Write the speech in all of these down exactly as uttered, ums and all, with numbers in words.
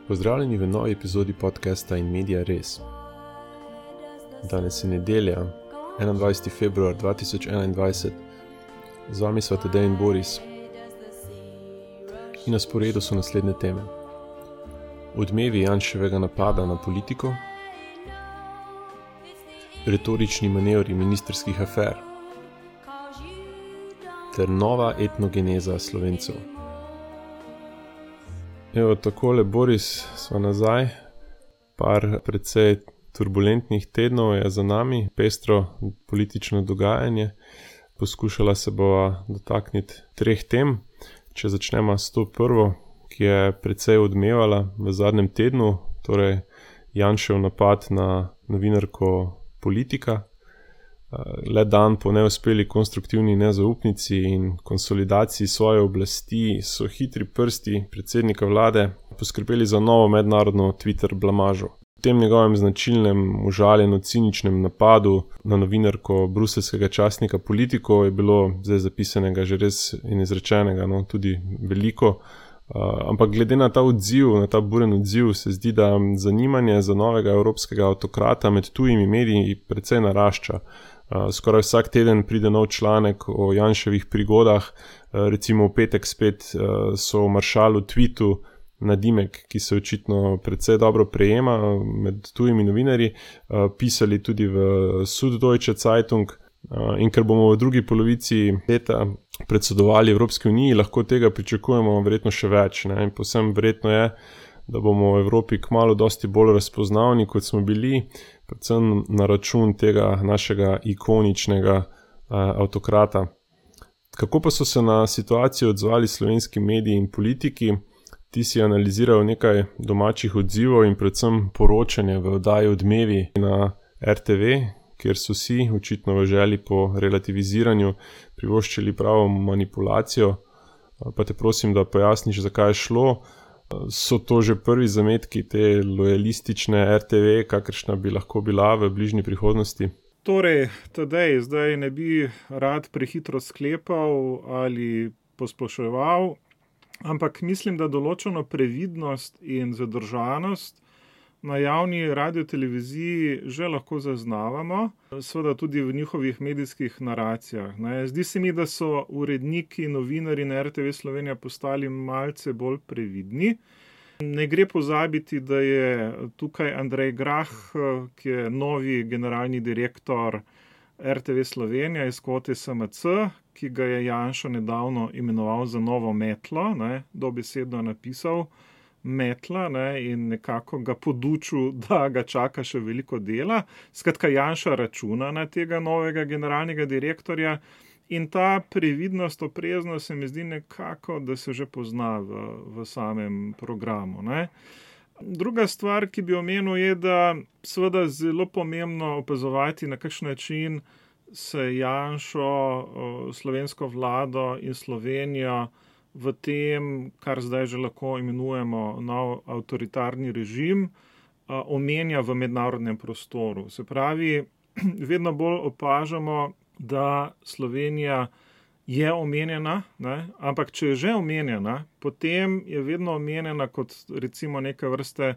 Pozdravljeni v novi epizodi podcasta In Media Res. Danes je nedelja, enaindvajseti februar dva tisoč enaindvajset. Z vami sva Tadej in Boris. In na sporedu so naslednje teme. Odmevi Janševega napada na politiko, retorični manevri ministrskih afer ter nova etnogeneza Slovencev. Evo, takole, Boris, sva nazaj. Par precej turbulentnih tednov je za nami, pestro politično dogajanje. Poskušala se bova dotakniti treh tem. Če začnemo s to prvo, ki je precej odmevala v zadnjem tednu, torej Janšev napad na novinarko Politika. Le dan po neuspeli konstruktivni nezaupnici in konsolidaciji svoje oblasti so hitri prsti predsednika vlade poskrbeli za novo mednarodno Twitter blamažo. V tem njegovem značilnem, užaljeno ciničnem napadu na novinarko bruseljskega časnika Politico je bilo zdaj zapisanega že res in izrečenega, no, tudi veliko. Uh, ampak glede na ta odziv, na ta buren odziv, se zdi, da zanimanje za novega evropskega avtokrata med tujimi mediji precej narašča. Uh, skoraj vsak teden pride nov članek o Janševih prigodah, uh, recimo v petek spet uh, so v Maršalu tweetu nadimek, ki se očitno precej dobro prejema med tujimi novinarji, uh, pisali tudi v Süddeutsche Zeitung. Uh, in ker bomo v drugi polovici leta predsedovali Evropski uniji, lahko tega pričakujemo verjetno še več. Ne? In povsem verjetno je, da bomo v Evropi kmalu dosti bolj razpoznavni, kot smo bili, predvsem na račun tega našega ikoničnega uh, avtokrata. Kako pa so se na situacijo odzvali slovenski mediji in politiki? Ti si analizirajo nekaj domačih odzivov in predvsem poročanje v oddaji Odmevi na er te ve, kjer so si očitno v želji po relativiziranju privoščili pravo manipulacijo. Pa te prosim, da pojasniš, zakaj je šlo. So to že prvi zametki te lojalistične er te ve, kakršna bi lahko bila v bližnji prihodnosti? Torej, Tadej, zdaj ne bi rad prehitro sklepal ali posploševal, ampak mislim, da določeno previdnost in zadržanost na javni radioteleviziji že lahko zaznavamo, seveda tudi v njihovih medijskih naracijah. Ne. Zdi se mi, da so uredniki, novinarji na er te ve Slovenija postali malce bolj previdni. Ne gre pozabiti, da je tukaj Andrej Grah, ki je novi generalni direktor er te ve Slovenija iz kvote es em ce, ki ga je Janša nedavno imenoval za novo metlo, ne, dobesedno napisal metla, ne, in nekako ga podučil, da ga čaka še veliko dela. Skratka, Janša računa na tega novega generalnega direktorja in ta previdnost, opreznost se mi zdi nekako, da se že pozna v, v samem programu. Ne. Druga stvar, ki bi omenil, je, da seveda zelo pomembno opazovati, na kakšen način se Janšo, slovensko vlado in Slovenijo v tem, kar zdaj že lahko imenujemo nov avtoritarni režim, omenja v mednarodnem prostoru. Se pravi, vedno bolj opažamo, da Slovenija je omenjena, ne? Ampak če je že omenjena, potem je vedno omenjena kot recimo neke vrste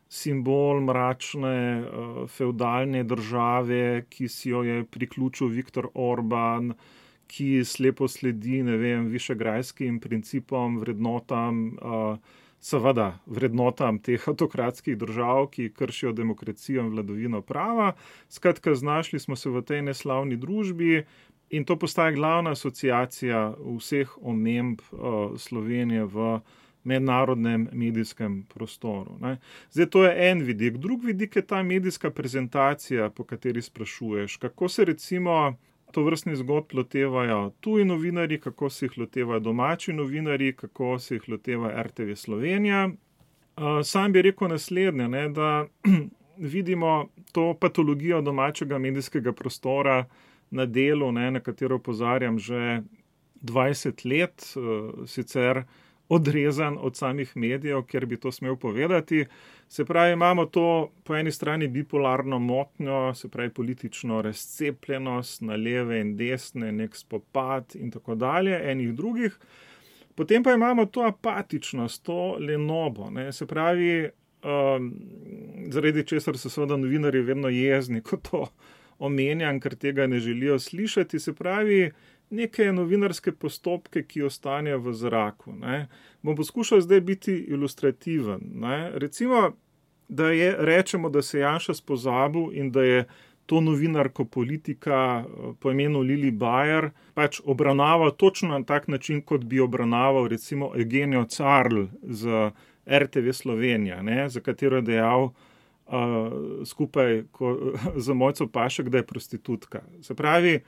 simbol mračne, fevdalne države, ki si jo je priključil Viktor Orban, ki slepo sledi, ne vem, višegrajskim principom, vrednotam, seveda vrednotam teh avtokratskih držav, ki kršijo demokracijo in vladavino prava. Skratka, znašli smo se v tej neslavni družbi in to postaja glavna asociacija vseh omemb Slovenije v mednarodnem medijskem prostoru. Ne. Zdaj, to je en vidik. Drug vidik je ta medijska prezentacija, po kateri sprašuješ. Kako se recimo tovrstnih zgodb lotevajo tuji novinarji, kako se jih lotevajo domači novinarji, kako se jih loteva er te ve Slovenija. Sam bi rekel naslednje, ne, da vidimo to patologijo domačega medijskega prostora na delu, ne, na katero opozarjam že dvajset let, sicer odrezan od samih medijev, ker bi to smel povedati. Se pravi, imamo to po eni strani bipolarno motnjo, se pravi politično razcepljenost na leve in desne, nek spopad in tako dalje, enih drugih. Potem pa imamo to apatičnost, to lenobo, ne? Se pravi, um, zaradi česar so seveda novinarji vedno jezni, ko to omenjam, ker tega ne želijo slišati, se pravi, neke novinarske postopke, ki ostanejo v zraku, ne? Bom poskušal zdaj biti ilustrativen, ne? Recimo, da je, rečemo, da se Janša spozabil in da je to novinarko politika po imenu Lili Bajer pač obravnaval točno na tak način, kot bi obravnaval recimo Eugenijo Carl z R T V Slovenija, ne, za katero je dejal uh, skupaj ko, z Mojco Pašek, da je prostitutka. Se pravi,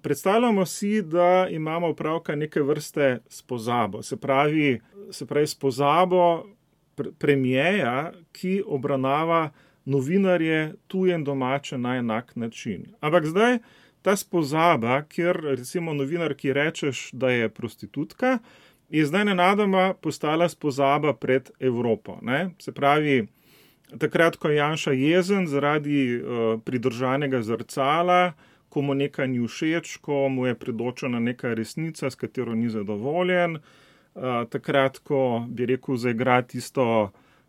predstavljamo si, da imamo opravka neke vrste s pozabo. Se pravi, se pravi s pozabo pre- premijeja, ki obravnava novinarje tuje in domače na enak način. Ampak zdaj ta spozaba, kjer recimo novinar, ki rečeš, da je prostitutka, je zdaj nenadoma postala spozaba pred Evropo, ne? Se pravi, takrat, ko je Janša jezen zaradi uh, pridržanega zrcala, ko mu nekaj ni všeč, ko mu je predočena neka resnica, s katero ni zadovoljen, uh, takrat, ko bi rekel, zaigra tisto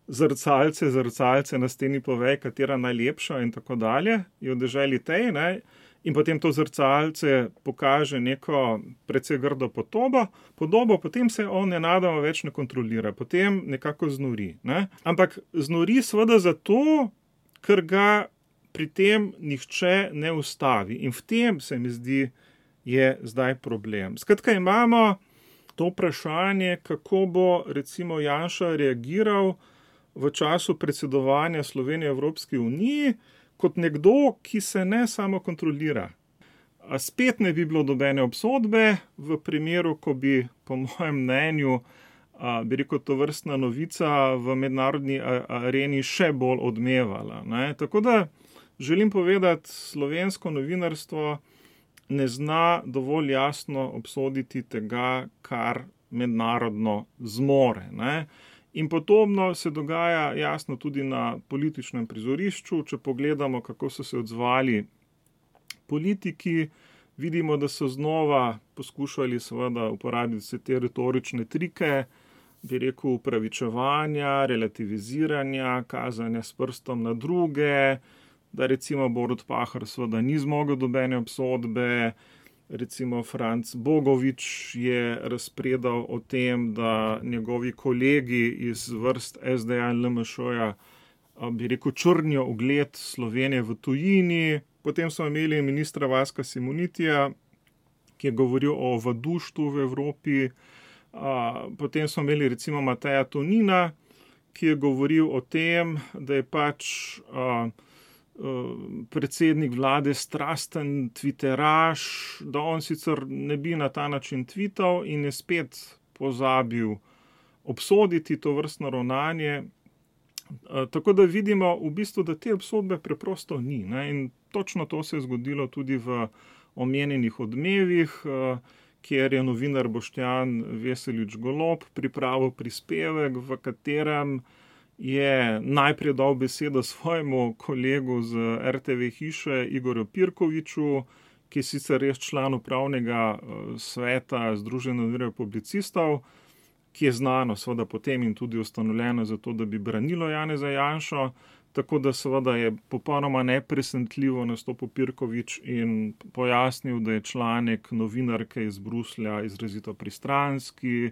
zrcalce, zrcalce na steni povej, katera najlepša in tako dalje, je v deželi tej, ne? In potem to zrcalce pokaže neko precej grdo podobo, podobo, potem se on nenadoma več ne kontrolira, potem nekako znori, ne? Ampak znori seveda zato, ker ga pri tem nihče ne ustavi. In v tem, se mi zdi, je zdaj problem. Skratka, imamo to vprašanje, kako bo recimo Janša reagiral v času predsedovanja Slovenije Evropski uniji, kot nekdo, ki se ne samo kontrolira. A spet ne bi bilo dobene obsodbe v primeru, ko bi, po mojem mnenju, a, bi rekel, to vrstna novica v mednarodni areni še bolj odmevala, ne? Tako da želim povedati, slovensko novinarstvo ne zna dovolj jasno obsoditi tega, kar mednarodno zmore, ne? In podobno se dogaja jasno tudi na političnem prizorišču. Če pogledamo, kako so se odzvali politiki, vidimo, da so znova poskušali seveda uporabiti vse te retorične trike, bi rekel, upravičevanja, relativiziranja, kazanja s prstom na druge, da recimo Borut Pahor seveda ni zmogel dobene obsodbe, recimo Franc Bogovič je razpredal o tem, da njegovi kolegi iz vrst S D A in L M Š-ja, bi rekel, črnijo ugled Slovenije v tujini. Potem smo imeli ministra Vaska Simonitija, ki je govoril o vaduštvu v Evropi. Potem smo imeli recimo Mateja Tonina, ki je govoril o tem, da je pač predsednik vlade strasten twitteraš, da on sicer ne bi na ta način twital in je spet pozabil obsoditi to vrstno ravnanje. Tako da vidimo v bistvu, da te obsodbe preprosto ni, ne? In točno to se je zgodilo tudi v omenjenih Odmevih, kjer je novinar Boštjan Veselič Golob pripravil prispevek, v katerem je najprej dal besedo svojemu kolegu z R T V hiše Igorju Pirkoviču, ki je sicer res član upravnega sveta Združenja novinarjev publicistov, ki je znano seveda potem in tudi ustanovljeno zato, da bi branilo Janeza Janšo, tako da seveda je popolnoma nepresenetljivo nastopil Pirkovič in pojasnil, da je članek novinarke iz Bruslja izrazito pristranski,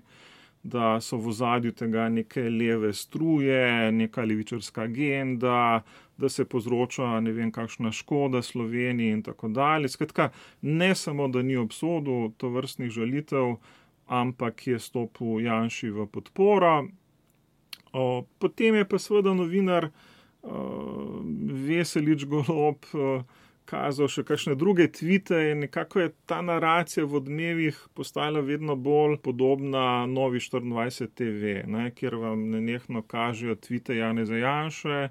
da so v ozadju tega neke leve struje, neka levičarska agenda, da se povzroča ne vem kakšna škoda Sloveniji in tako dalje. Skratka, ne samo, da ni obsodil tovrstnih žalitev, ampak je stopil Janši v podporo. O, potem je pa seveda novinar o, Veselič Golob o, kazal še kakšne druge tvite in nekako je ta naracija v Odmevih postala vedno bolj podobna Novi štiriindvajset T V, ne, kjer vam nenehno kažejo tvite Janeza Janše,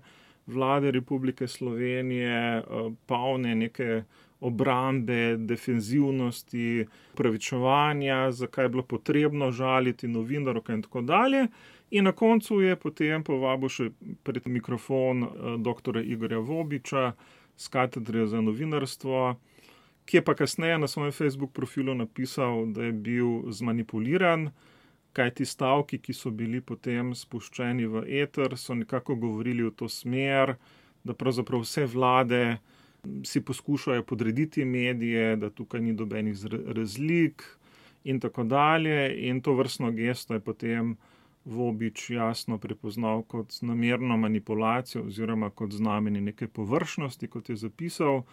vlade Republike Slovenije, polne neke obrambe, defenzivnosti, upravičevanja, zakaj je bilo potrebno žaliti novinarko in tako dalje. In na koncu je potem povabil še pred mikrofon doktorja Igorja Vobiča z katedre za novinarstvo, ki je pa kasneje na svojem Facebook profilu napisal, da je bil zmanipuliran, kaj ti stavki, ki so bili potem spuščeni v eter, so nekako govorili v to smer, da pravzaprav vse vlade si poskušajo podrediti medije, da tukaj ni dobenih razlik in tako dalje. In to vrstno gesto je potem Vobič jasno prepoznal kot namerno manipulacijo oziroma kot znamenje neke površnosti, kot je zapisal.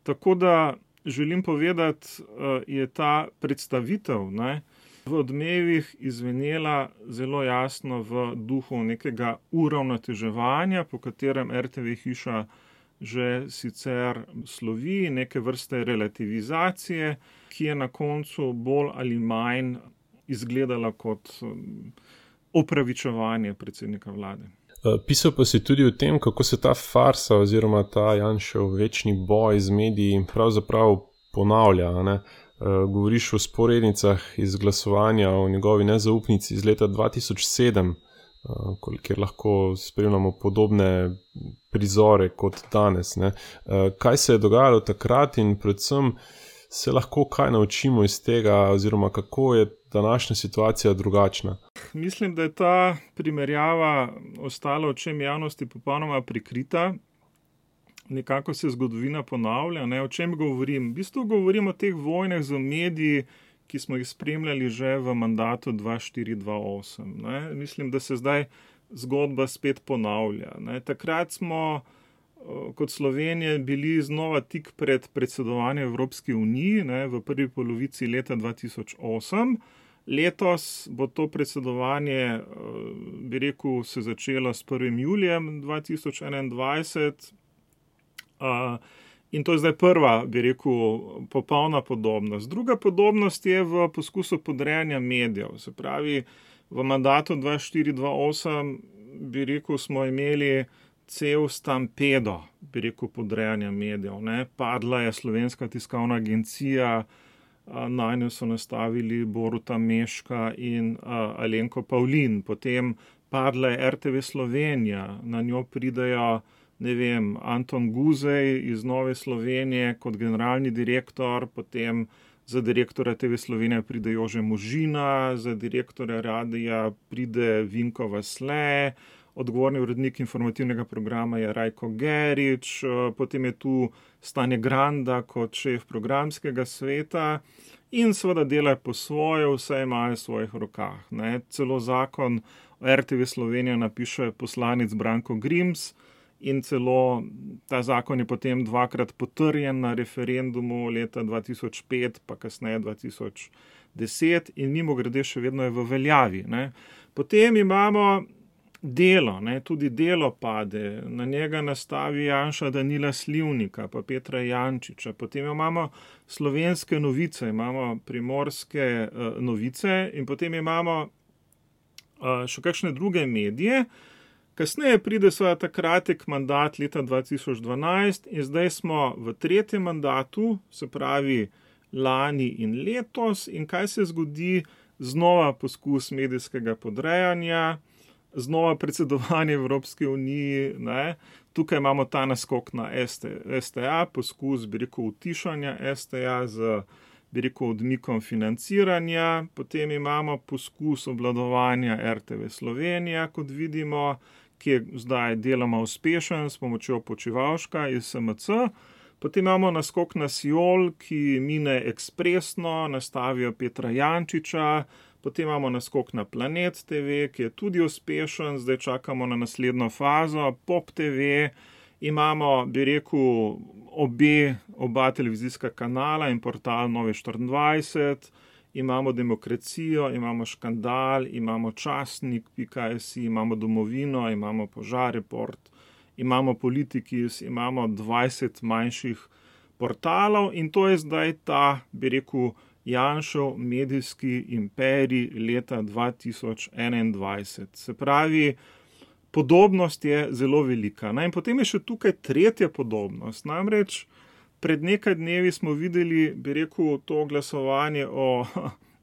Tako da želim povedati, je ta predstavitev, ne, v Odmevih izvenela zelo jasno v duhu nekega uravnoteževanja, po katerem er te ve hiša že sicer slovi, neke vrste relativizacije, ki je na koncu bolj ali manj izgledala kot opravičevanje predsednika vlade. Pisal pa si tudi o tem, kako se ta farsa oziroma ta Janšev večni boj z mediji pravzaprav ponavlja, ne? Govoriš o sporednicah iz glasovanja o njegovi nezaupnici iz leta dva tisoč sedem, kjer lahko spremljamo podobne prizore kot danes, ne? Kaj se je dogajalo takrat in predvsem se lahko kaj naučimo iz tega oziroma kako je današnja situacija drugačna? Mislim, da je ta primerjava ostala očem javnosti popolnoma prikrita. Nekako se zgodovina ponavlja, ne? O čem govorim? V bistvu govorim o teh vojnah z mediji, ki smo jih spremljali že v mandatu dva štiri dva osem. Ne? Mislim, da se zdaj zgodba spet ponavlja. Ne? Takrat smo kot Slovenija bili znova tik pred predsedovanjem Evropski uniji, ne? V prvi polovici leta dva tisoč osem. Letos bo to predsedovanje, bi rekel, se začelo s prvim julijem dva tisoč enaindvajset. Uh, in to je zdaj prva, bi rekel, popolna podobnost. Druga podobnost je v poskusu podrejanja medijev. Se pravi, v mandatu dva štiri dva osem, bi rekel, smo imeli cel stampedo, bi rekel, podrejanja medijev. Ne? Padla je Slovenska tiskovna agencija, uh, na njo so nastavili Boruta Meška in uh, Alenko Pavlin. Potem padla je er te ve Slovenija, na njo pridejo ne vem, Anton Guzej iz Nove Slovenije kot generalni direktor, potem za direktorja te ve Slovenija pride Jože Možina, za direktorja radija pride Vinko Vasle, odgovorni urednik informativnega programa je Rajko Gerič, potem je tu Stane Granda kot šef programskega sveta in seveda delajo po svoje, vse imajo v svojih rokah. Ne? Celo zakon o er te ve Slovenija napiše poslanec Branko Grims, in celo ta zakon je potem dvakrat potrjen na referendumu leta dva tisoč pet, pa kasneje dva tisoč deset in mimogrede še vedno je v veljavi. Ne. Potem imamo Delo, ne. Tudi Delo pade, na njega nastavi Janša Danila Slivnika, pa Petra Jančiča. Potem imamo Slovenske novice, imamo Primorske uh, novice in potem imamo uh, še kakšne druge medije. Kasneje pride seveda ta kratek mandat leta dva tisoč dvanajst in zdaj smo v tretjem mandatu, se pravi lani in letos, in kaj se zgodi? Znova poskus medijskega podrejanja, znova predsedovanje Evropske unije, ne? Tukaj imamo ta naskok na es te a, poskus, bi rekel, utišanja es te a z, bi rekel, odmikom financiranja, potem imamo poskus obvladovanja er te ve Slovenija, kot vidimo, ki je zdaj deloma uspešen s pomočjo Počivalška iz es em ce. Potem imamo naskok na Siol, ki mine ekspresno, nastavijo Petra Jančiča. Potem imamo naskok na Planet te ve, ki je tudi uspešen, zdaj čakamo na naslednjo fazo. Pop te ve, imamo, bi rekel, obe, oba televizijska kanala in portal Nove štiriindvajset. Imamo Demokracijo, imamo Škandal, imamo Časnik pika si, imamo Domovino, imamo Požareport, imamo Politikis, imamo dvajset manjših portalov in to je zdaj ta, bi rekel, Janšev medijski imperij leta dva tisoč enaindvajset. Se pravi, podobnost je zelo velika. Ne? In potem je še tukaj tretja podobnost, namreč pred nekaj dnevi smo videli, bi rekel, to glasovanje o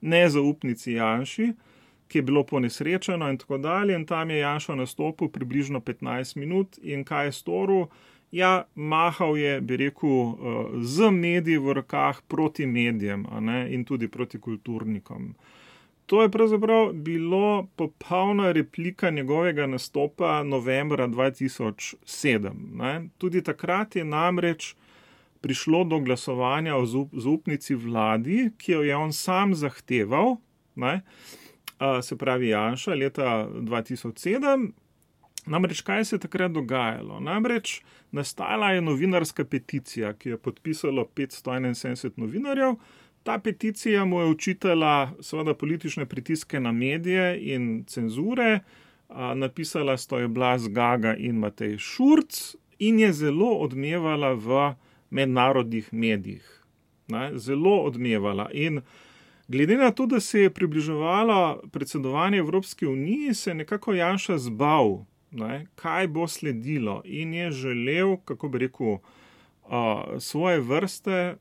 nezaupnici Janši, ki je bilo ponesrečeno in tako dalje, in tam je Janša nastopil približno petnajst minut in kaj je storil? Ja, mahal je, bi rekel, z mediji v rokah proti medijem, a ne, in tudi proti kulturnikom. To je pravzaprav bilo popolna replika njegovega nastopa novembra dva tisoč sedem. Ne. Tudi takrat je namreč prišlo do glasovanja o zaupnici vladi, ki jo je on sam zahteval, ne, se pravi Janša, leta dva tisoč sedem. Namreč kaj se je takrat dogajalo? Namreč nastala je novinarska peticija, ki je podpisalo petsto enainsedemdeset novinarjev. Ta peticija mu je očitala seveda politične pritiske na medije in cenzure, napisala sta jo Blaž Gaga in Matej Šurc in je zelo odmevala v mednarodnih medijih. Ne, zelo odmevala. In glede na to, da se je približevalo predsedovanje Evropske unije, se je nekako Janša zbal, ne, kaj bo sledilo, in je želel, kako bi rekel, svoje vrste,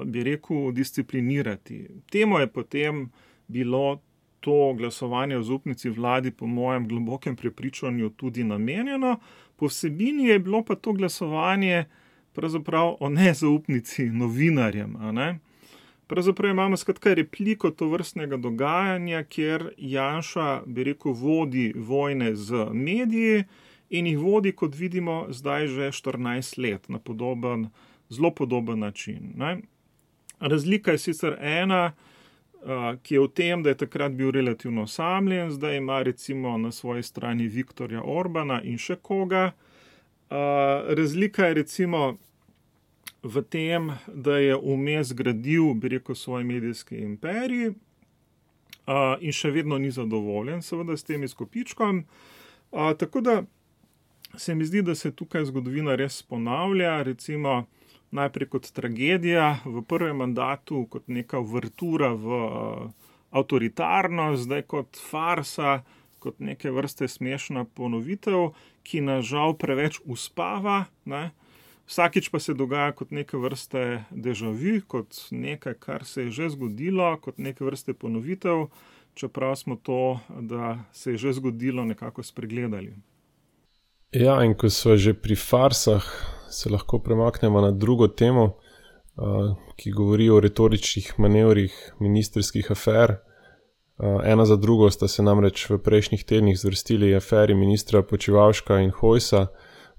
bi rekel, disciplinirati. Temu je potem bilo to glasovanje o zaupnici vladi po mojem globokem prepričanju tudi namenjeno, po vsebini je bilo pa to glasovanje pravzaprav o nezaupnici novinarjem, a ne. Pravzaprav imamo skratka repliko tovrstnega dogajanja, kjer Janša, bi rekel, vodi vojne z mediji in jih vodi, kot vidimo, zdaj že štirinajst let na podoben, zelo podoben način. Ne. Razlika je sicer ena, ki je v tem, da je takrat bil relativno osamljen, zdaj ima recimo na svoji strani Viktorja Orbana in še koga. Razlika je recimo v tem, da je vmes gradil, bi rekel, svoj medijski imperij in še vedno ni zadovoljen seveda s tem izkupičkom. Tako da se mi zdi, da se tukaj zgodovina res ponavlja, recimo najprej kot tragedija v prvem mandatu, kot neka uvertura v avtoritarnost, zdaj kot farsa, kot neke vrste smešna ponovitev, ki nas žal preveč uspava, ne. Vsakič pa se dogaja kot neke vrste déjà vu, kot nekaj, kar se je že zgodilo, kot neke vrste ponovitev, čeprav smo to, da se je že zgodilo, nekako spregledali. Ja, in ko so že pri farsah, se lahko premaknemo na drugo temo, ki govori o retoričnih manevrih ministrskih afer. Ena za drugo sta se namreč v prejšnjih tednih zvrstili aferi ministra Počivalška in Hojsa,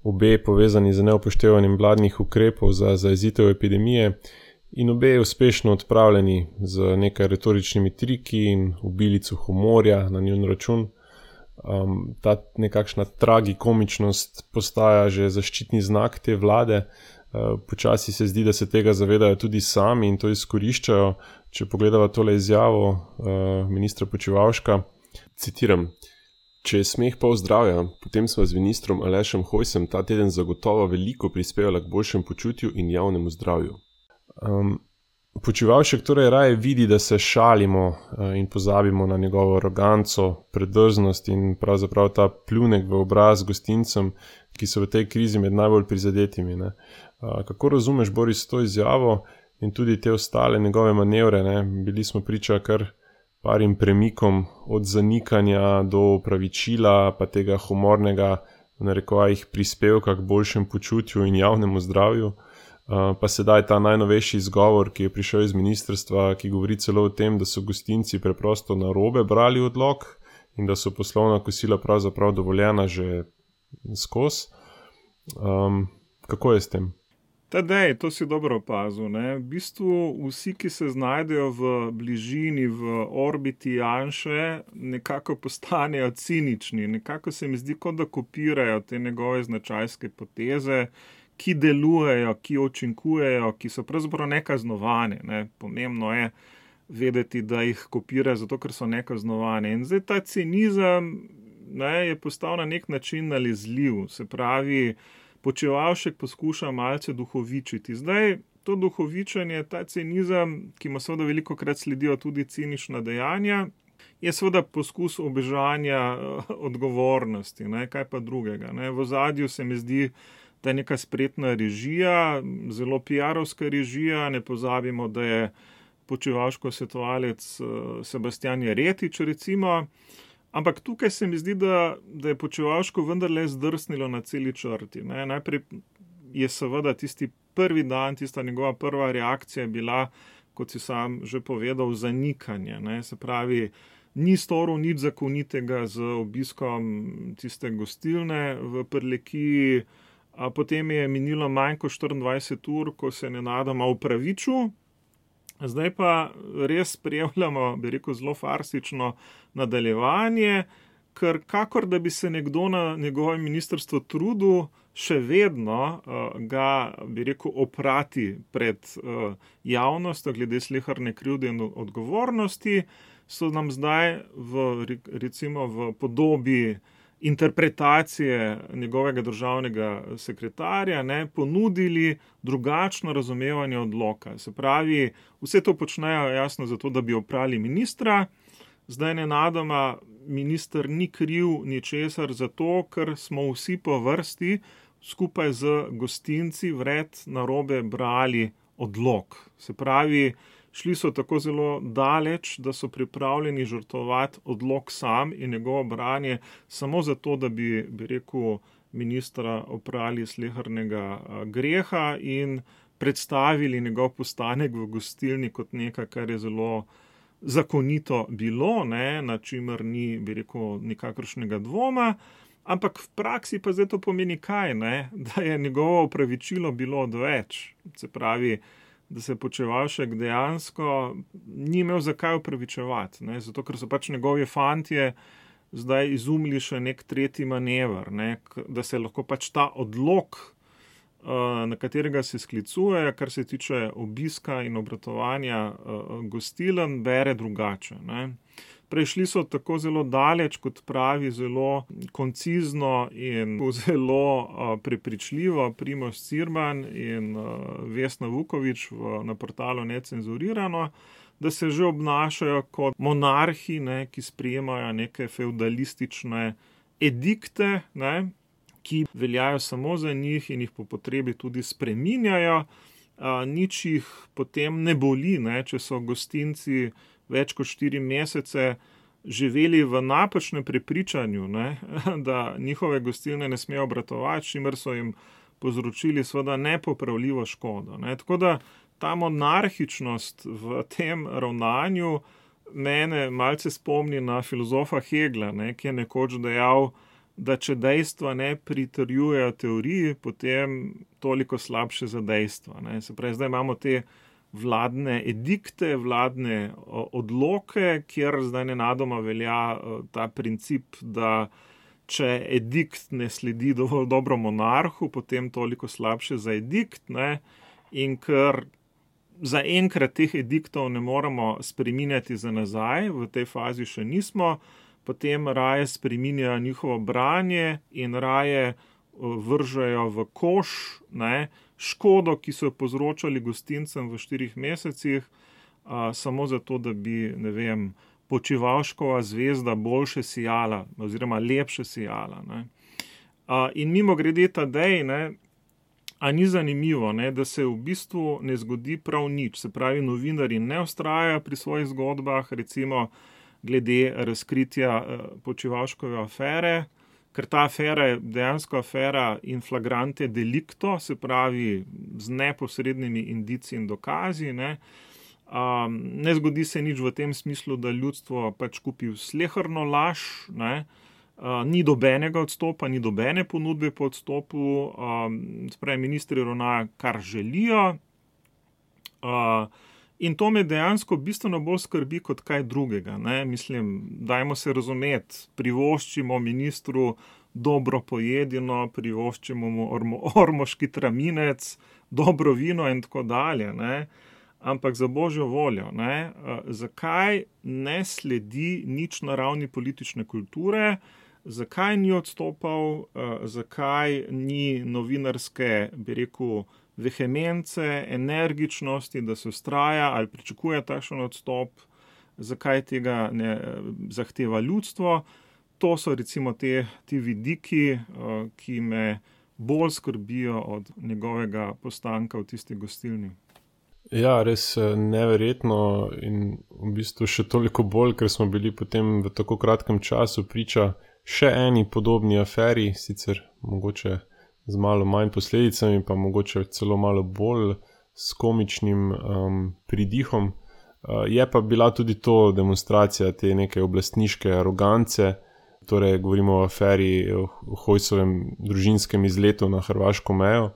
obe povezani z neupoštevanjem vladnih ukrepov za zajezitev epidemije in obe uspešno odpravljeni z nekaj retoričnimi triki in obilico humorja na njun račun. Um, ta nekakšna tragikomičnost postaja že zaščitni znak te vlade. Uh, počasi se zdi, da se tega zavedajo tudi sami in to izkoriščajo. Če pogledava tole izjavo uh, ministra Počivalška, citiram: "Če je smeh pol zdravja, potem sva z ministrom Alešem Hojsem ta teden zagotovo veliko prispevala k boljšem počutju in javnemu zdravju." Um, Počivalšek torej raje vidi, da se šalimo in pozabimo na njegovo aroganco, predrznost in pravzaprav ta pljunek v obraz gostincem, ki so v tej krizi med najbolj prizadetimi. Ne. Kako razumeš, Boris, to izjavo in tudi te ostale njegove manevre? Ne? Bili smo priča kar parim premikom od zanikanja do opravičila, pa tega humornega, v narekovajih, prispevka k boljšem počutju in javnemu zdravju. Uh, pa sedaj ta najnovejši izgovor, ki je prišel iz ministrstva, ki govori celo o tem, da so gostinci preprosto narobe brali odlok in da so poslovna kosila pravzaprav dovoljena že skozi. Um, kako je s tem? Tadej, to si dobro opazil, ne. V bistvu vsi, ki se znajdejo v bližini, v orbiti Janše, nekako postanejo cinični. Nekako se mi zdi, kot da kopirajo te njegove značajske poteze, ki delujejo, ki učinkujejo, ki so pravzaprav nekaznovane. Ne. Pomembno je vedeti, da jih kopira, zato ker so nekaznovane. In zdaj ta cinizem, ne, je postal na nek način nalezljiv. Se pravi, Počivalšek poskuša malce duhovičiti. Zdaj, to duhovičenje, ta cinizem, ki mu seveda velikokrat sledijo tudi cinična dejanja, je seveda poskus obežanja odgovornosti, ne, kaj pa drugega. Ne. V ozadju se mi zdi, da je neka spretna režija, zelo piarovska režija. Ne pozabimo, da je Počivalškov svetovalec Sebastijan Jeretič, recimo. Ampak tukaj se mi zdi, da, da je Počivalško vendarle zdrsnilo na celi črti. Ne. Najprej je seveda tisti prvi dan, tista njegova prva reakcija bila, kot si sam že povedal, zanikanje. Ne? Se pravi, ni storil nič zakonitega z obiskom tiste gostilne v Prlekiji, a potem je minilo manj kot štiriindvajset ur, ko se je nenadoma opravičil. Zdaj pa res spremljamo, bi rekel, zelo farsično nadaljevanje, ker kakor da bi se nekdo na njegovem ministrstvu trudil še vedno uh, ga, bi rekel, oprati pred uh, javnostjo glede sleherne krivde in odgovornosti, so nam zdaj v, recimo v podobi interpretacije njegovega državnega sekretarja ne, ponudili drugačno razumevanje odloka. Se pravi, vse to počnejo jasno zato, da bi oprali ministra, zdaj nenadoma minister ni kriv ničesar zato, ker smo vsi po vrsti skupaj z gostinci vred narobe brali odlok. Se pravi, šli so tako zelo daleč, da so pripravljeni žrtvovati odlok sam in njegovo branje samo zato, da bi, bi rekel, ministra oprali slehernega greha in predstavili njegov postanek v gostilni kot nekaj, kar je zelo zakonito bilo, ne, na čimer ni, bi rekel, nikakršnega dvoma, ampak v praksi pa zdaj to pomeni kaj, ne, da je njegovo opravičilo bilo odveč. Se pravi, da se Počivalšek dejansko ni imel zakaj opravičevati, ne, zato ker so pač njegovi fantje zdaj izumili še nek tretji manever, ne, da se lahko pač ta odlok, na katerega se sklicuje, kar se tiče obiska in obratovanja gostiln, bere drugače. Ne. Prešli so tako zelo daleč, kot pravi, zelo koncizno in zelo prepričljivo Primož Cirman in Vesna Vuković v, na portalu Necenzurirano, da se že obnašajo kot monarhi, ne, ki sprejemajo neke feudalistične edikte, ne, ki veljajo samo za njih in jih po potrebi tudi spreminjajo. A, nič jih potem ne boli, ne, če so gostinci več kot štiri mesece živeli v napačnem prepričanju, ne, da njihove gostilne ne smejo obratovati, čimer so jim povzročili seveda nepopravljivo škodo. Ne. Tako da ta monarhičnost v tem ravnanju mene malce spomni na filozofa Hegla, ne, ki je nekoč dejal, da če dejstva ne pritrjujejo teoriji, potem toliko slabše za dejstva. Ne. Se pravi, zdaj imamo te vladne edikte, vladne odloke, kjer zdaj nenadoma velja ta princip, da če edikt ne sledi dovolj dobro monarhu, potem toliko slabše za edikt, ne, in ker zaenkrat teh ediktov ne moremo spreminjati za nazaj, v tej fazi še nismo, potem raje spreminjajo njihovo branje in raje vržejo v koš, ne, škodo, ki so jo povzročali gostincem v štirih mesecih, a, samo zato, da bi, ne vem, Počivalškova zvezda boljše sijala, oziroma lepše sijala. Ne. A, in mimo grede Tadej, ne, a ni zanimivo, ne, da se v bistvu ne zgodi prav nič. Se pravi, novinarji ne vztrajajo pri svojih zgodbah, recimo glede razkritja Počivalškove afere, ker ta afera je dejansko afera in flagrante delicto, se pravi z neposrednimi indici in dokazi. Ne, um, ne zgodi se nič v tem smislu, da ljudstvo pač kupi sleherno laž, ne, uh, ni dobenega odstopa, ni dobene ponudbe po odstopu, um, se pravi, ministri ravnajo, kar želijo. Uh, In to me dejansko bistveno bolj skrbi kot kaj drugega. Ne? Mislim, dajmo se razumeti, privoščimo ministru dobro pojedino, privoščimo mu ormo, ormoški traminec, dobro vino in tako dalje. Ne? Ampak za božjo voljo, ne? Zakaj ne sledi nič na ravni politične kulture, zakaj ni odstopal, zakaj ni novinarske, bi rekel, vehemence, energičnosti, da se vztraja ali pričakuje takšen odstop, zakaj tega ne zahteva ljudstvo. To so recimo te, ti vidiki, ki me bolj skrbijo od njegovega postanka v tisti gostilni. Ja, res neverjetno in v bistvu še toliko bolj, ker smo bili potem v tako kratkem času priča še eni podobni aferi, sicer mogoče z malo manj posledicami, pa mogoče celo malo bolj s komičnim um, pridihom. Uh, je pa bila tudi to demonstracija te neke oblastniške arogance, torej govorimo o aferi o Hojsovem družinskem izletu na hrvaško mejo.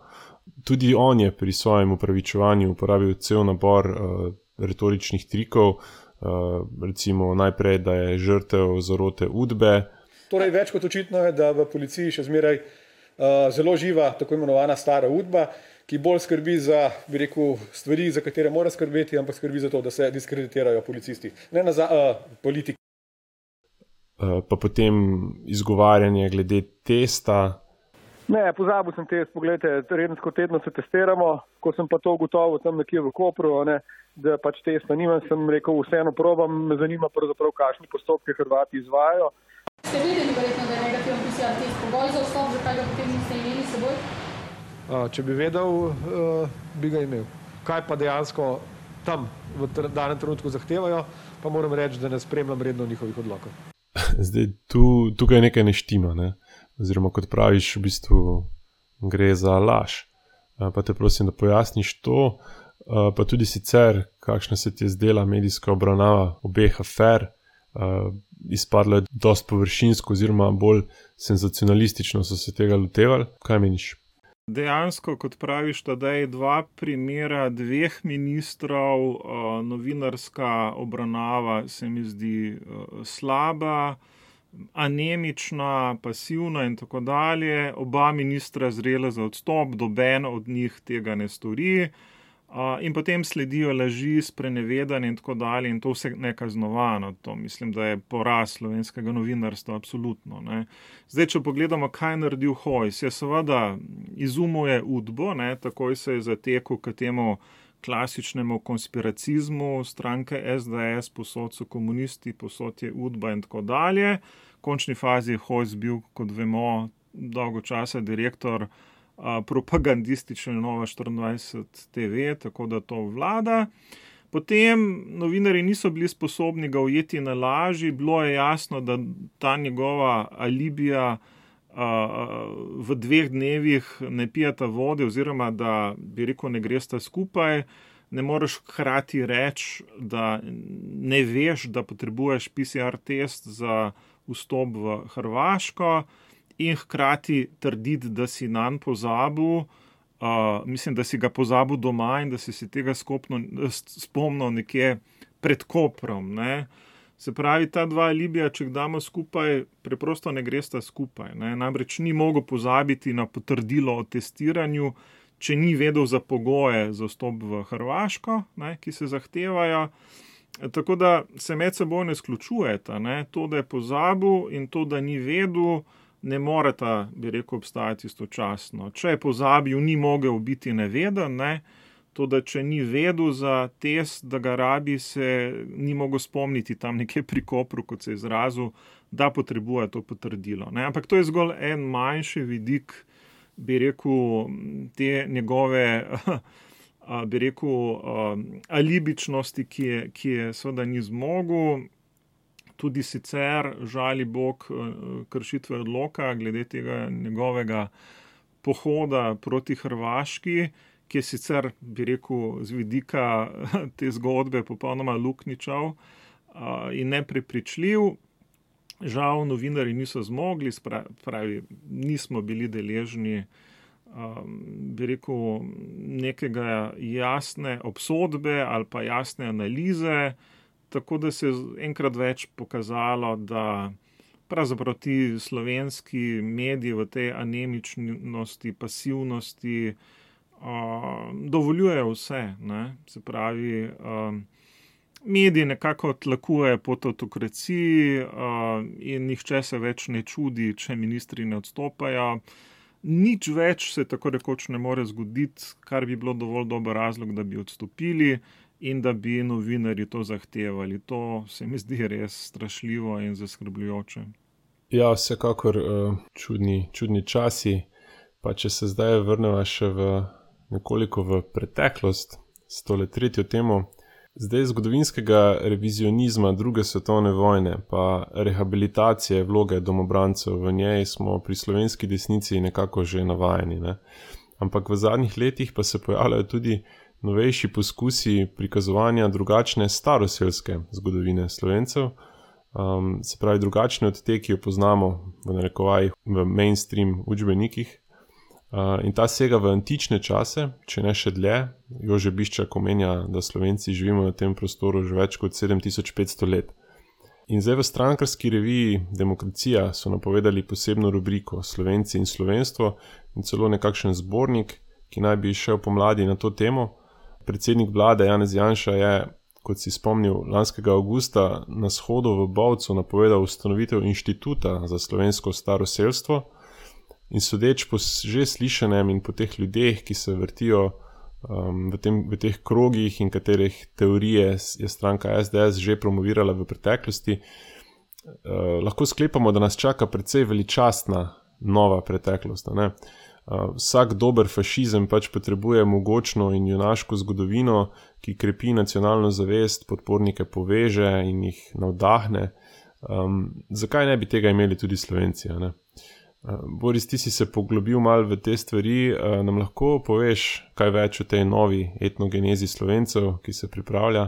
Tudi on je pri svojem upravičevanju uporabil cel nabor uh, retoričnih trikov, uh, recimo najprej, da je žrtev zarote Udbe. Torej, več kot očitno je, da v policiji še zmeraj uh, zelo živa tako imenovana stara Udba, ki bolj skrbi za, bi rekel, stvari, za katere mora skrbeti, ampak skrbi za to, da se diskreditirajo policisti, ne na za, uh, politiki. Uh, pa potem izgovarjanje glede testa. Ne, pozabil sem test, pogledajte, tedensko tedno se testiramo, ko sem pa to ugotovil tam nekje v Kopru, ne, da pač testa nimam, sem rekel, vseeno probam, me zanima pravzaprav, kakšni postopke Hrvati izvajajo. Ste vedeli verjetno, da je negativen P C R test pogoj za vstop, zakaj ga potem niste imeli s seboj? Če bi vedel, bi ga imel. Kaj pa dejansko tam v danem trenutku zahtevajo, pa moram reči, da ne spremljam redno njihovih odlokov. Zdaj, tu, tukaj nekaj ne štima, ne? Oziroma, kot praviš, v bistvu gre za laž. Pa te prosim, da pojasniš to, pa tudi sicer, kakšna se ti je zdela medijska obravnava obeh afer, izpadlo je dosti površinsko oziroma bolj senzacionalistično so se tega lotevali. Kaj meniš? Dejansko, kot praviš, tadej dva primera dveh ministrov, novinarska obravnava se mi zdi slaba, anemična, pasivna in tako dalje. Oba ministra zrela za odstop, noben od njih tega ne stori. In potem sledijo laži, sprenevedanje in tako dalje in to vse nekaznovano. To mislim, da je poraz slovenskega novinarstva, absolutno. Ne. Zdaj, če pogledamo, kaj je naredil Hojs, je seveda izumuje Udbo, ne, takoj se je zatekel k temu klasičnemu konspiracizmu stranke S D S, posod so komunisti, posod je Udba in tako dalje. V končni fazi je Hojs bil, kot vemo, dolgo časa direktor propagandistične Nova štiriindvajset T V, tako da to vlada. Potem novinarji niso bili sposobni ga ujeti na laži, bilo je jasno, da ta njegova alibija v dveh dnevih ne pijata vode oziroma da, bi rekel, ne gresta skupaj. Ne moreš hkrati reči, da ne veš, da potrebuješ P C R test za vstop v Hrvaško, in hkrati trditi, da si nanj pozabil, uh, mislim, da si ga pozabil doma in da si si tega skopno, spomnil nekje pred Koprom. Ne. Se pravi, ta dva alibija, če jih damo skupaj, preprosto ne gresta skupaj. Ne. Namreč ni mogel pozabiti na potrdilo o testiranju, če ni vedel za pogoje za vstop v Hrvaško, ne, ki se zahtevajo. Tako da se med seboj ne izključujeta. Ne. To, da je pozabil in to, da ni vedel, ne moreta, bi rekel, obstajati istočasno. Če je pozabil, ni mogel biti neveden, ne? To, da če ni vedel za test, da ga rabi, se ni mogel spomniti tam nekje pri Kopru, kot se je izrazil, da potrebuje to potrdilo. Ne? Ampak to je zgolj en manjši vidik, bi rekel, te njegove, bi rekel, alibičnosti, ki je, ki je seveda ni zmogel. Tudi sicer, žali Bog, kršitve odloka glede tega njegovega pohoda proti Hrvaški, ki je sicer, bi rekel, z vidika te zgodbe popolnoma luknjičav in neprepričljiv. Žal novinarji niso zmogli, pravi, nismo bili deležni, bi rekel, nekega jasne obsodbe ali pa jasne analize, tako da se je enkrat več pokazalo, da pravzaprav ti slovenski mediji v tej anemičnosti, pasivnosti uh, dovoljujejo vse. Ne? Se pravi, uh, mediji nekako tlakujejo pod avtokraciji uh, in nihče se več ne čudi, če ministri ne odstopajo. Nič več se tako rekoč ne more zgoditi, kar bi bilo dovolj dober razlog, da bi odstopili in da bi novinarji to zahtevali. To se mi zdi res strašljivo in zaskrbljujoče. Ja, vsekakor uh, čudni, čudni časi, pa če se zdaj vrneva še v nekoliko v preteklost s tole tretjo temo. Zdaj zgodovinskega revizionizma druge svetovne vojne pa rehabilitacije vloge domobrancev, v njej smo pri slovenski desnici nekako že navajeni. Ne? Ampak v zadnjih letih pa se pojavljajo tudi novejši poskusi prikazovanja drugačne staroselske zgodovine Slovencev, um, se pravi drugačne od te, ki jo poznamo v narekovajih v mainstream učbenikih. Uh, in ta sega v antične čase, če ne še dlje. Jože Biščak omenja, da Slovenci živimo na tem prostoru že več kot sedem tisoč petsto let. In zdaj v strankarski reviji Demokracija so napovedali posebno rubriko Slovenci in slovenstvo in celo nekakšen zbornik, ki naj bi šel pomladi na to temo. Predsednik vlade Janez Janša je, kot si spomnil, lanskega avgusta na shodu v Bovcu napovedal ustanovitev inštituta za slovensko staroselstvo. In sodeč po že slišanem in po teh ljudeh, ki se vrtijo um, v, tem, v teh krogih in katerih teorije je stranka es de es že promovirala v preteklosti, uh, lahko sklepamo, da nas čaka precej veličastna nova preteklost. Ne? Uh, vsak dober fašizem pač potrebuje mogočno in junaško zgodovino, ki krepi nacionalno zavest, podpornike poveže in jih navdahne. Um, zakaj ne bi tega imeli tudi Slovenci? Ne? Boris, ti si se poglobil malo v te stvari, nam lahko poveš kaj več o tej novi etnogenezi Slovencev, ki se pripravlja?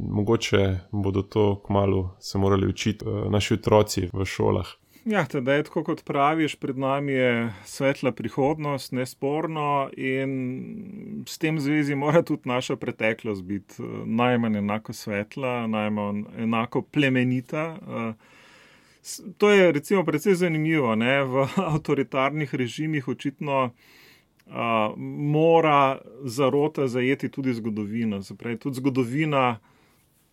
Mogoče bodo to kmalu se morali učiti naši otroci v šolah. Ja, teda je tako, kot praviš, pred nami je svetla prihodnost, nesporno, in s tem zvezi mora tudi naša preteklost biti najmanj enako svetla, najmanj enako plemenita. To je recimo precej zanimivo, ne? V avtoritarnih režimih očitno a, mora zarota zajeti tudi zgodovino. Zapravi, tudi zgodovina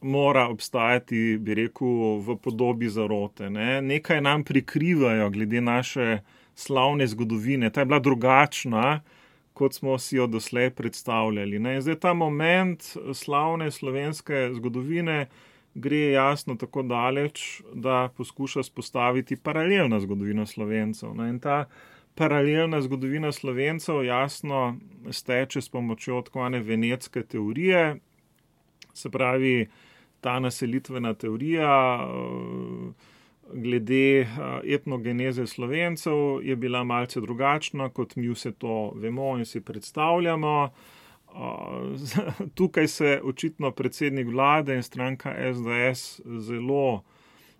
mora obstajati, bi rekel, v podobi zarote. Ne? Nekaj nam prikrivajo glede naše slavne zgodovine. Ta je bila drugačna, kot smo si jo doslej predstavljali. Ne? Zdaj ta moment slavne slovenske zgodovine gre jasno tako daleč, da poskuša spostaviti paralelno zgodovino Slovencev. In ta paralelna zgodovina Slovencev jasno steče s pomočjo tako ene venetske teorije, se pravi ta naselitvena teorija glede etnogeneze Slovencev je bila malce drugačna, kot mi vse to vemo in si predstavljamo. Tukaj se očitno predsednik vlade in stranka es de es zelo,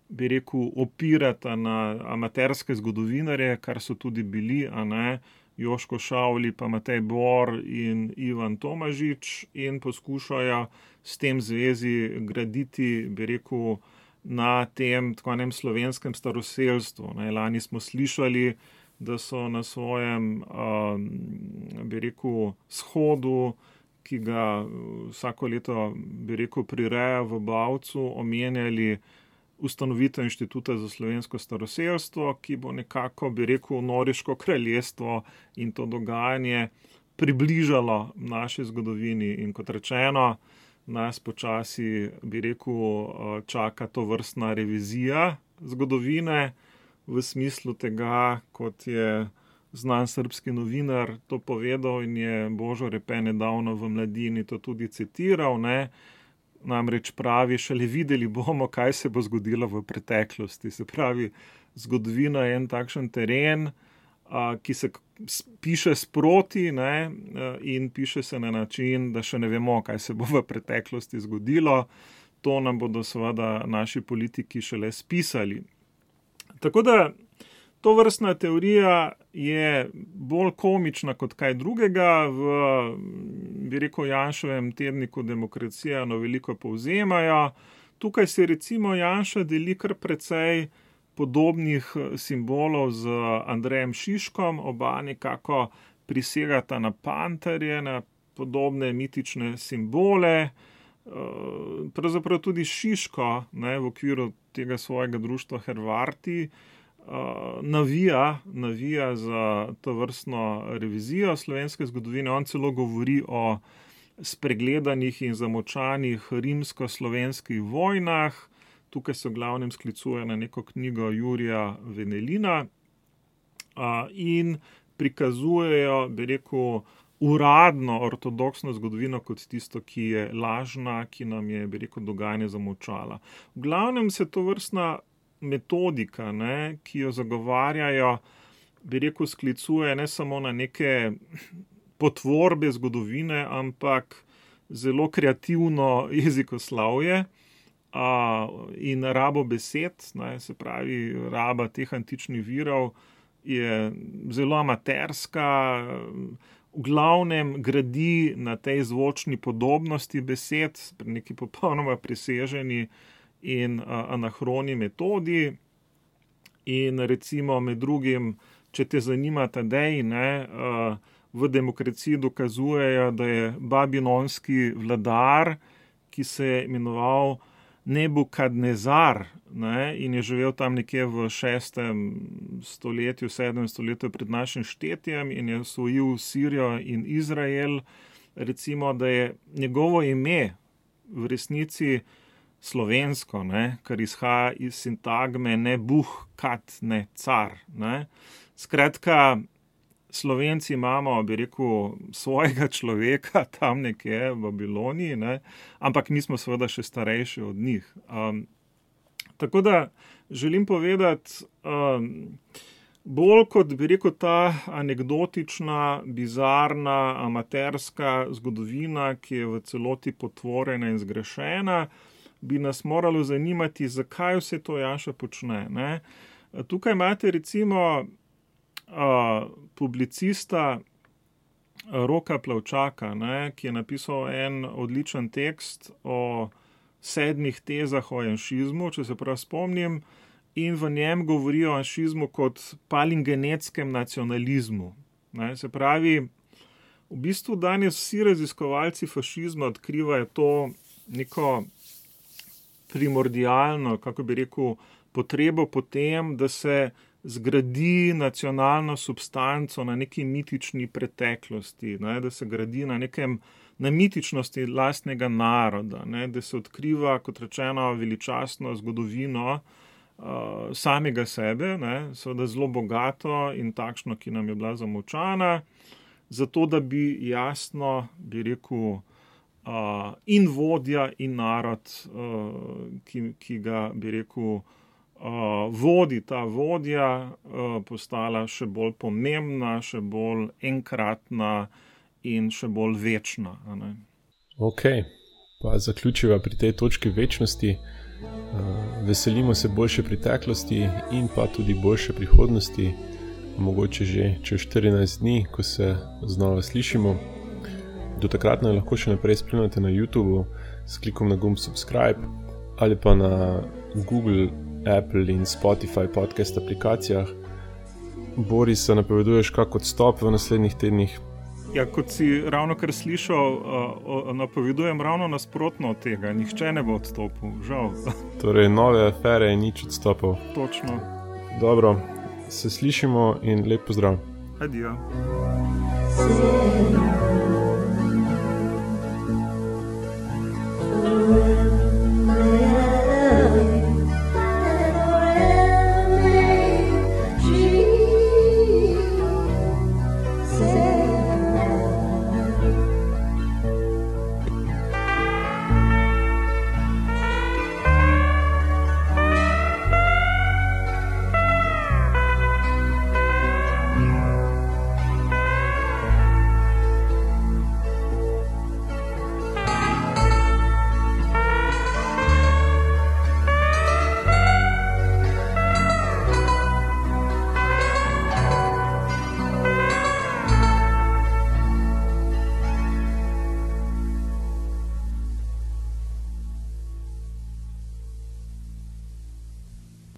bi rekel, opirata na amaterske zgodovinarje, kar so tudi bili, a ne, Joško Šavli, pa Matej Bor in Ivan Tomažič, in poskušajo s tem zvezi graditi, bi rekel, na tem tako enem slovenskem staroselstvu. Ne. Lani smo slišali, da so na svojem, um, bi rekel, shodu, ki ga vsako leto, bi rekel, prireja v Bovcu, omenjali ustanovitev inštituta za slovensko staroselstvo, ki bo nekako, bi rekel, Noriško kraljestvo in to dogajanje približalo naši zgodovini. In kot rečeno, nas počasi, bi rekel, čaka to vrstna revizija zgodovine, v smislu tega, kot je znan srbski novinar to povedal in je Božo Repe nedavno v Mladini to tudi citiral, ne, namreč pravi, šele videli bomo, kaj se bo zgodilo v preteklosti. Se pravi, zgodovina je en takšen teren, a, ki se piše sproti, ne, in piše se na način, da še ne vemo, kaj se bo v preteklosti zgodilo. To nam bodo seveda naši politiki šele spisali. Tako da to vrstna teorija je bolj komična kot kaj drugega. V, bi rekel, Janševem tedniku Demokracija no veliko povzemajo. Tukaj se recimo Janša deli kar precej podobnih simbolov z Andrejem Šiškom, oba nekako prisegata na panterje, na podobne mitične simbole. Pravzaprav tudi Šiško, ne, v okviru tega svojega društva Hrvati, navija, navija za to vrstno revizijo slovenske zgodovine. On celo govori o spregledanih in zamočanih rimsko-slovenskih vojnah. Tukaj se v glavnem sklicuje na neko knjigo Jurija Venelina in prikazujejo, bi rekel, uradno ortodoksno zgodovino kot tisto, ki je lažna, ki nam je, bi rekel, dogajanje zamočala. V glavnem se to vrstna metodika, ne, ki jo zagovarjajo, bi rekel, sklicuje ne samo na neke potvorbe zgodovine, ampak zelo kreativno jezikoslovje in rabo besed, ne, se pravi, raba teh antičnih virov je zelo amaterska, v glavnem gradi na tej zvočni podobnosti besed, neki popolnoma preseženi in anahroni metodi. In recimo med drugim, če te zanima Tadej, ne, v Demokraciji dokazujejo, da je babilonski vladar, ki se je imenoval Nebukadnezar, ne, in je živel tam nekje v šestem stoletju, sedmem stoletju pred našim štetjem in je osvojil Sirijo in Izrael, recimo, da je njegovo ime v resnici slovensko, ne, kar izhaja iz sintagme ne buh, kat, ne car. Ne. Skratka, Slovenci imamo, bi rekel, svojega človeka tam nekje v Babiloniji, ne, ampak mi smo seveda še starejši od njih. Um, tako da želim povedati, um, bolj kot bi rekel ta anekdotična, bizarna, amaterska zgodovina, ki je v celoti potvorjena in zgrešena, bi nas moralo zanimati, zakaj vse to Jaša počne. Ne? Tukaj imate recimo uh, publicista Roka Plavčaka, ne? Ki je napisal en odličen tekst o sedmih tezah o janšizmu, če se prav spomnim, in v njem govori o janšizmu kot palingenetskem nacionalizmu. Ne? Se pravi, v bistvu danes vsi raziskovalci fašizma odkrivajo to neko primordialno, kako bi rekel, potrebo po tem, da se zgradi nacionalno substanco na neki mitični preteklosti, ne, da se gradi na nekem, na mitičnosti lastnega naroda, ne, da se odkriva, kot rečeno, veličastno zgodovino uh, samega sebe, ne, seveda zelo bogato in takšno, ki nam je bila zamolčana, zato da bi jasno, bi rekel, Uh, in vodja in narod, uh, ki, ki ga, bi rekel, uh, vodi ta vodja, uh, postala še bolj pomembna, še bolj enkratna in še bolj večna. Ne? Ok, pa zaključiva pri tej točki večnosti. Uh, veselimo se boljše preteklosti in pa tudi boljše prihodnosti, mogoče že čez štirinajst dni, ko se znova slišimo. Do takrat nas lahko še naprej spremljate na YouTubeu s klikom na gumb subscribe ali pa na Google, Apple in Spotify podcast aplikacijah. Boris, se napoveduješ kak odstop v naslednjih tednih? Ja, kot si ravno kar slišal, uh, napovedujem ravno nasprotno od tega. Nihče ne bo odstopil, žal. Torej, nove afere in nič odstopov. Točno. Dobro, se slišimo in lep pozdrav. Adijo.